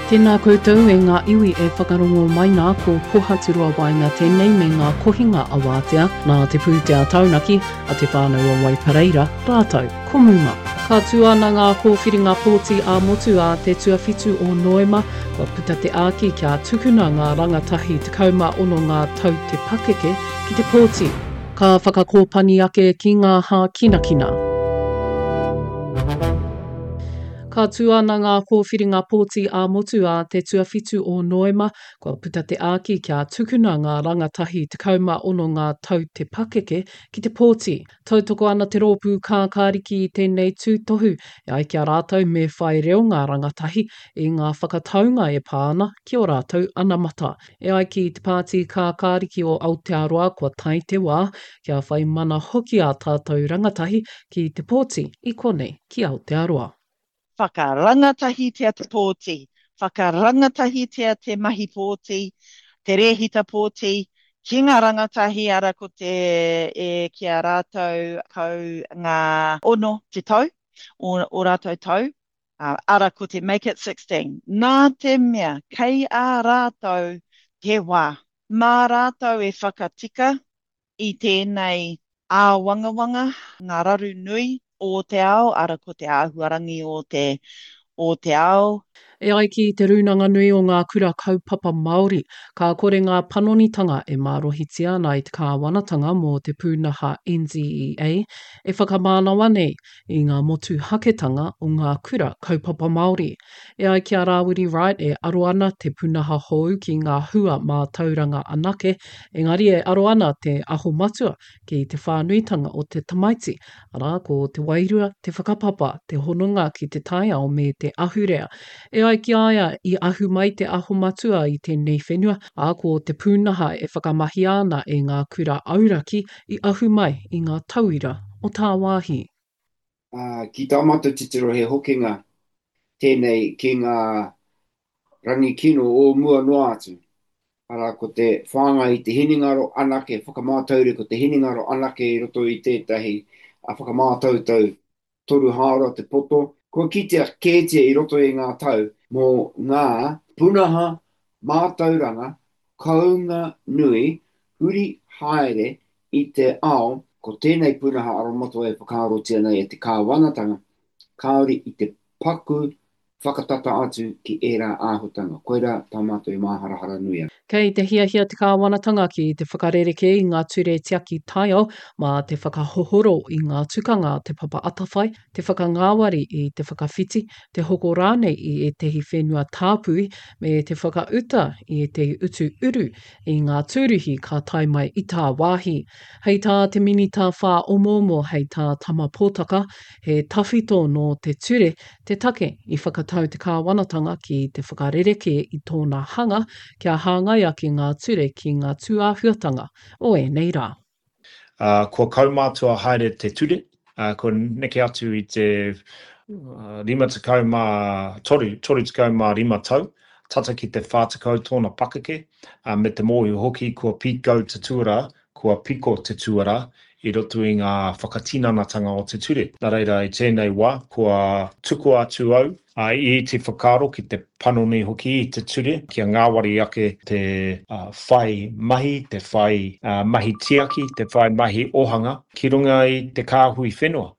Tēnā koutou e ngā iwi e whakarongo mai nā ko Pohaturoa Waenga tēnei me ngā kohinga awātea nā te pūtea taunaki a Te Whānau o Waipareira rātou ko Muma. Ka tū ana ngā kōwhiringa pōti ā-motu ā te tuawhitu o Noema, kua puta te āki kia tukuna ngā rangatahi 16 ngā tau te pakeke ki te pōti. Ka whakakōpani ake ki ngā hākinakina. Ka tū ana ngā kōwhiringa pōti ā-motu ā te tuawhitu o Noema, kua puta te āki kia tukuna ngā rangatahi 16 ngā tau te pakeke ki te pōti. Tautoko ana te rōpū kākāriki i tēnei tūtohu, e ai ki a rātou me whai reo ngā rangatahi i ngā whakataunga e pā ana ki ō rātou anamata. E ai ki te Pāti Kākāriki o Aotearoa kua tae te wā kia whai mana hoki ā tātou rangatahi ki te pōti i konei ki Aotearoa. Whakarangatahitia te pōti, whakarangatahitia te mahi pōti, te rēhita pōti ki ngā rangatahi ara ko te e ki a rātou kau ngā ono te tau, o, o rātou tau, ara ko te make it 16. Nā te mea kei a rātou te wā, mā rātou e whakatika i tēnei āwangawanga, ngā raru nui o te ao, ara ko te āhuarangi o te, o te ao. E ai ki Te Rūnanga Nui o Ngā Kura Kaupapa Māori, ka kore ngā panonitanga e mārohitia ana i te kāwanatanga mō te pūnaha NZEA e whakamānawa nei i ngā motuhaketanga o ngā kura kaupapa Māori. E ai ki a Rāwiri Wright e aro ana te punaha hou ki ngā hua mātauranga anake, engari e aro ana te Aho Matua ki te whānuitanga o te tamaiti, arā, ko te wairua, te whakapapa, te hononga ki te taiao me te ahurea. E ai ki a ia, i ahu mai te Aho Matua i tēnei whenua, ā, ko te pūnaha e whakamahia ana e ngā kura auraki i ahu mai i ngā tauira o tāwāhi. Ā, ki tā mātou titiro he hokinga tēnei ki ngā rangi kino o mua noa atu, arā, ko te whāngai i te hinengaro anake, whakamātaure ko te hinengaro anake i roto i tētahi whakamātautau toru hāora te poto, kua kitea kētia i roto i ngā tau mō ngā pūnaha mātauranga kounga nui huri haere i te ao, ko tēnei pūnaha aromatawai e whakaarotia nei e te kāwanatanga, kāore i te paku whakatata atu ki ērā āhutanga. Koirā tā mātou e māharahara nui ana. Kei te hiahia te kāwanatanga ki te whakarerekē i ngā ture tiaki taiao mā te whakahohoro i ngā tukanga a Te Papa Atawhai, te whakangāwari i te whakawhiti, te hoko rānei i ētehi whenua tāpui, me te whakauta i ētehi utu uru i ngā tūruhi ka tae mai i tāwāhi. Hei tā te Minita Whāomoomo, hei tā Tama Potaka, he tawhito nō te ture Te take i whakatau te kāwanatanga ki te whakarerekē i tōna hanga kia hāngai ake ngā ture ki ngā tūāhuatanga o ēnei rā. Ā, kua kaumātua haere te ture, ā, kua neke atu i te 53, 35 tau, tata ki te 40 tōna pakeke, ā, me te mōhio hoki kua pīkau te tuarā Kua piko te tuarā i roto i ngā whakatinanatanga o te ture. Nā reira, i tēnei wā, kua tukua atu au i te whakaaro ki te panoni hoki i te ture kia ngāwari ake te whai mahi, te whai mahi tiaki, te whai mahi ohanga ki runga i te kāhui whenua.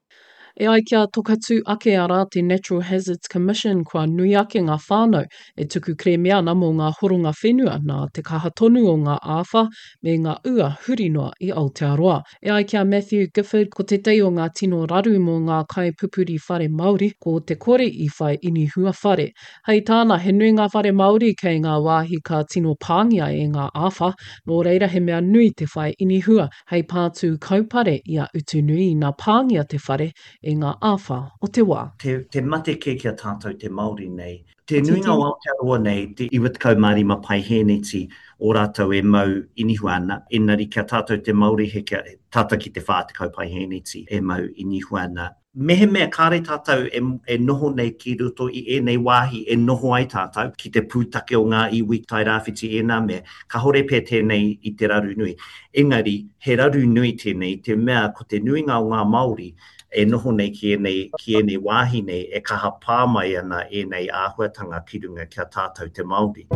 E ai ki a Tokatū ake arā te Natural Hazards Commission kua nui ake ngā whānau e tuku kerēme ana mō ngā horonga whenua nā te kaha tonu o ngā āwha me ngā ua huri noa i Aotearoa. E ai ki a Matthew Gifford ko tētahi o ngā tino raru mō ngā kaipupuri whare Māori ko te kore i whai inihua whare. Hei tāna he nui ngā whare Māori kei ngā wāhi ka tino pāngia e ngā āwha, nō reira he mea nui te whai inihua Hei pātū kaupare i a Utunui ina pāngia te whare e ngā āwhā o te wā. Te, te mate kē ki a tātou te Māori nei. Te nuinga o Aotearoa nei, te 95 paihēneti o rātou e mau inihua ana, engari ki a tātou te Māori he kia, tata ki te 40 paihēneti e mau inihua ana. Mehemea kāre tātou e, e noho nei ki roto i ēnei wāhi e noho ai tātou, ki te pūtake o ngā iwi Tairāwhiti ēnā mea, kāore pea tēnei i te raru nui. Engari, he raru nui tēnei i te mea ko te nuinga o ngā Māori e noho nei ki ēnei, ki ēnei wāhi nei e kaha pā mai ana ēnei āhuatanga. kāwanatanga ki runga ki a tātou te Māori.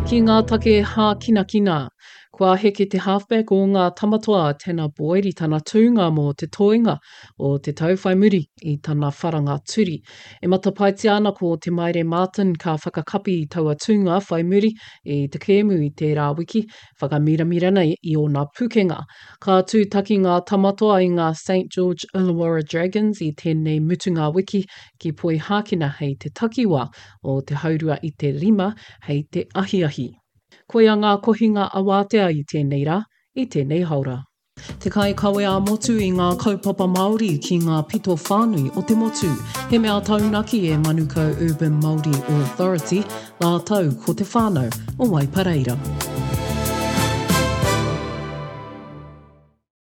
Ki ngā take hākinakina, kua heke te halfback o ngā Tamatoa a Tanner Boyd i tana tūnga mō te toenga o te tau whai muri i tana wharanga turi. E matapaetia ana ko Te Maire Martin ka whakakapi i taua tūnga whai muri i te kēmu i tērā wiki, whakamiramira nei i ōna pukenga. Ka tūtaki ngā Tamatoa i ngā Saint George Illawarra Dragons i tēnei mutunga wiki ki Poihākena hei te takiwā o te haurua i te rima hei te ahiahi. Koia ngā kohinga awātea i tēnei rā, i tēnei haora. Te kaikawe ā-motu i ngā kaupapa Māori ki ngā pito whānui o te motu. He mea taunaki e Manukau Urban Māori Authority rātou ko te whānau o Waipareira.